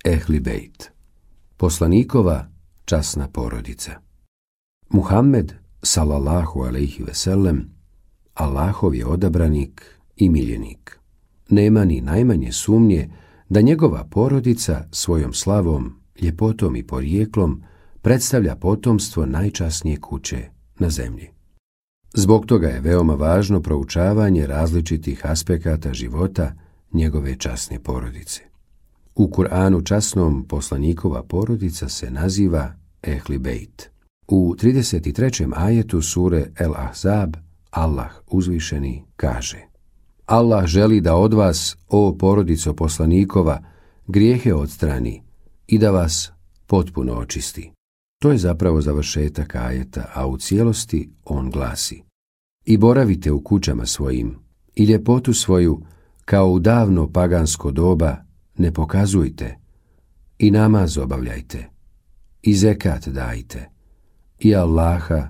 Ehli Bejt, poslanikova časna porodica. Muhammed, salallahu alejhi ve sellem, Allahov je odabranik i miljenik. Nema ni najmanje sumnje da njegova porodica svojom slavom, ljepotom i porijeklom predstavlja potomstvo najčasnije kuće na zemlji. Zbog toga je veoma važno proučavanje različitih aspekata života njegove časne porodice. U Kur'anu časnom poslanikova porodica se naziva Ehli Bejt. U 33. ajetu sure El Ahzab Allah uzvišeni kaže: Allah želi da od vas, o porodico poslanikova, grijehe odstrani i da vas potpuno očisti. To je zapravo završetak ajeta, a u cijelosti on glasi: I boravite u kućama svojim i ljepotu svoju kao u davno pagansko doba ne pokazujte, i namaz obavljajte, i zekat dajte, i Allaha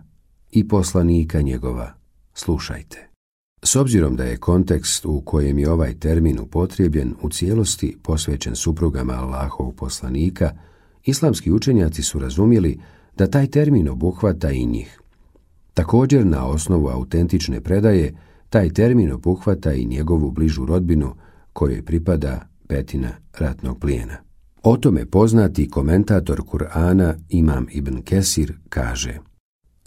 i poslanika njegova slušajte. S obzirom da je kontekst u kojem je ovaj termin upotrijebljen u cijelosti posvećen suprugama Allahovog poslanika, islamski učenjaci su razumjeli da taj termin obuhvata i njih. Također, na osnovu autentične predaje, taj termin obuhvata i njegovu bližu rodbinu kojoj pripada petina ratnog plijena. O tome poznati komentator Kur'ana Imam Ibn Kesir kaže: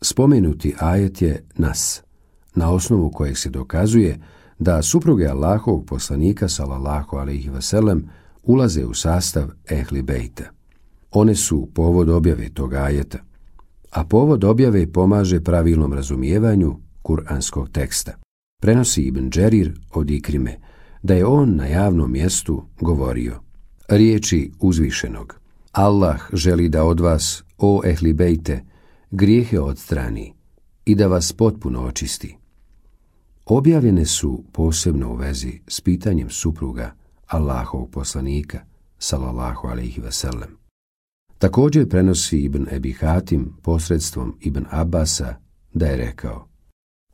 spomenuti ajet je nas, na osnovu kojeg se dokazuje da supruge Allahovog poslanika salallahu alejhi ve sellem ulaze u sastav Ehli Bejta. One su povod objave tog ajeta, a povod objave pomaže pravilnom razumijevanju kuranskog teksta. Prenosi Ibn Džerir od Ikrime da je on na javnom mjestu govorio riječi uzvišenog: Allah želi da od vas, o Ehli Bejte, grijehe odstrani i da vas potpuno očisti. Objavljene su posebno u vezi s pitanjem supruga Allahovog poslanika salallahu alejhi ve sellem. Također prenosi Ibn Ebi Hatim posredstvom Ibn Abasa da je rekao: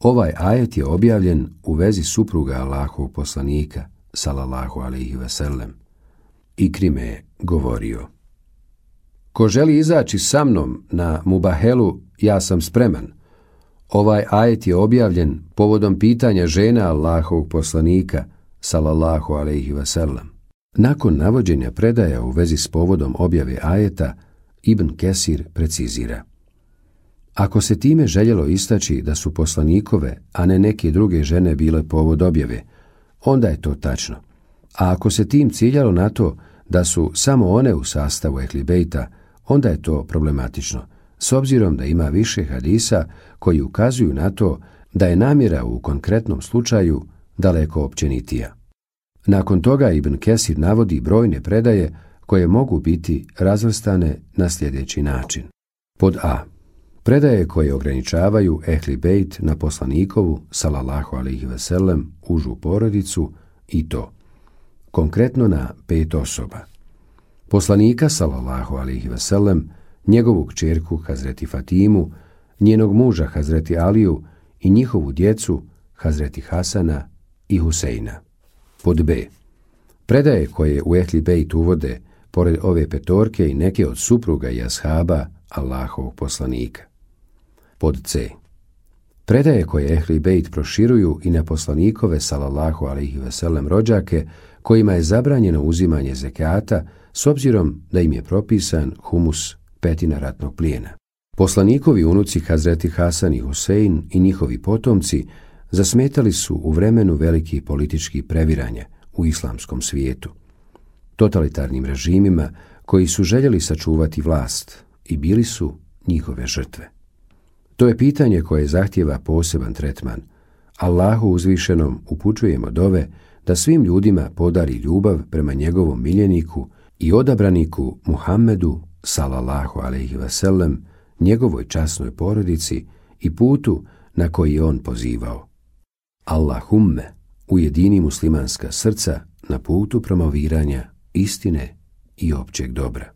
ovaj ajet je objavljen u vezi supruga Allahovog poslanika salallahu alejhi ve sellem. Ikrime je govorio: ko želi izaći sa mnom na Mubahelu, ja sam spreman. Ovaj ajet je objavljen povodom pitanja žena Allahovog poslanika salallahu alejhi ve sellem. Nakon navođenja predaja u vezi s povodom objave ajeta, Ibn Kesir precizira: ako se time željelo istaći da su poslanikove, a ne neke druge žene bile povod objave, onda je to tačno. A ako se tim ciljalo na to da su samo one u sastavu Ehli Bejta, onda je to problematično, s obzirom da ima više hadisa koji ukazuju na to da je namjera u konkretnom slučaju daleko općenitija. Nakon toga Ibn Kesir navodi brojne predaje koje mogu biti razvrstane na sljedeći način. Pod A. Predaje koje ograničavaju Ehli Bejt na poslanikovu salallahu alejhi ve sellem užu porodicu, i to konkretno na 5 osoba: poslanika salallahu alejhi ve sellem, njegovu kćerku Hazreti Fatimu, njenog muža Hazreti Aliju i njihovu djecu Hazreti Hasana i Huseina. Pod B. Predaje koje u Ehli Bejt uvode, pored ove petorke, i neke od supruga i ashaba Allahovog poslanika. Pod C. Predaje koje Ehli Bejt proširuju i na poslanikove salallahu alejhi ve sellem rođake, kojima je zabranjeno uzimanje zekata s obzirom da im je propisan humus, petina ratnog plijena. Poslanikovi unuci Hazreti Hasan i Husein i njihovi potomci zasmetali su u vremenu velikih političkih previranja u islamskom svijetu, totalitarnim režimima koji su željeli sačuvati vlast i bili su njihove žrtve. To je pitanje koje zahtijeva poseban tretman. Allahu uzvišenom upućujemo dove da svim ljudima podari ljubav prema njegovom miljeniku i odabraniku Muhammedu salallahu alejhi ve sellem, njegovoj časnoj porodici i putu na koji je on pozivao. Allahumme, ujedini muslimanska srca na putu promoviranja istine i općeg dobra.